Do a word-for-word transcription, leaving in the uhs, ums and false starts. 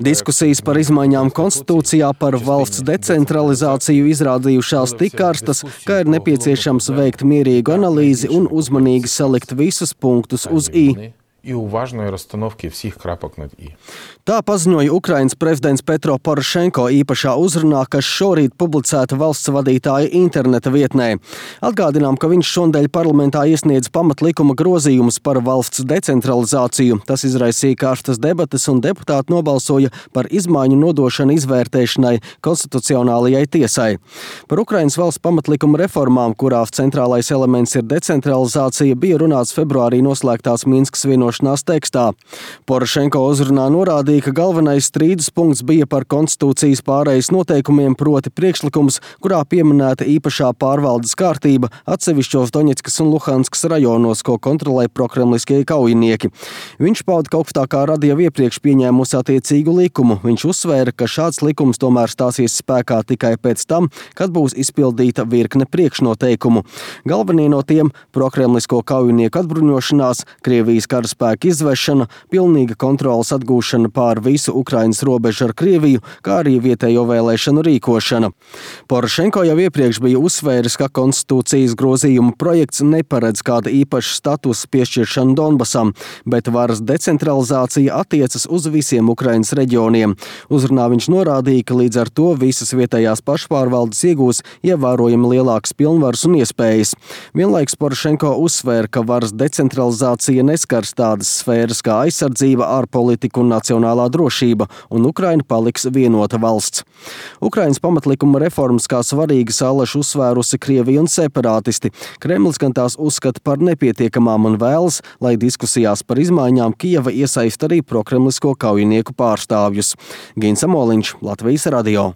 Diskusijas par izmaiņām konstitūcijā par valsts decentralizāciju izrādījušās tik karstas, ka ir nepieciešams veikt mierīgu analīzi un uzmanīgi salikt visus punktus uz i. Tā paziņoja Ukrainas prezidents Petro Porošenko īpašā uzrunā, kas šorīt publicēta valsts vadītāja interneta vietnē. Atgādinām, ka viņš šondeļ parlamentā iesniedz pamatlikuma grozījumus par valsts decentralizāciju. Tas izraisīja karstas debates un deputāti nobalsoja par izmaiņu nodošanu izvērtēšanai konstitucionālajai tiesai. Par Ukrainas valsts pamatlikuma reformām, kurās centrālais elements ir decentralizācija, bija runāts februārī noslēgtās Minskas vienošanās tekstā. Porošenko uzrunā norādīja, ka galvenais strīdus punkts bija par konstitūcijas pārejas noteikumiem, proti priekšlikums, kurā pieminēta īpašā pārvaldes kārtība atsevišķos Doņetskas un Luhanskas rajonos, ko kontrolē prokremliskie kaujinieki. Viņš pauda, ka augstākā rada jau iepriekš pieņēmusi attiecīgu likumu. Viņš uzsvēra, ka šāds likums tomēr stāsies spēkā tikai pēc tam, kad būs izpildīta virkne priekšnoteikumu. Galvenie no tiem – prokremlisko kaujinieku atbruņošanās, Krievijas karaspēka izvešana, pilnīga kontrolas atgūšana pār visu Ukrainas robežu ar Krieviju, kā arī vietējo vēlēšanu rīkošana. Porošenko jau iepriekš bija uzsvēris, ka konstitūcijas grozījuma projekts neparedz kāda īpaša statusa piešķiršanu Donbasam, bet varas decentralizācija attiecas uz visiem Ukrainas reģioniem. Uzrunā viņš norādīja, ka līdz ar to visas vietējās pašpārvaldes iegūs ievērojami lielākas pilnvaras un iespējas. Vienlaiks Porošenko uzsvēra, ka varas decentralizācija neskars tādas sfēras kā aizsardzība, ārpolitika un nacionālā drošība, un Ukraina paliks vienota valsts. Ukrainas pamatlikuma reformas kā svarīgas allaž uzsvērusi Krievija un separātisti. Kremlis gan tās uzskata par nepietiekamām un vēlas, lai diskusijās par izmaiņām Kijeva iesaist arī prokremlisko kaujinieku pārstāvjus. Gins Amoliņš, Latvijas radio.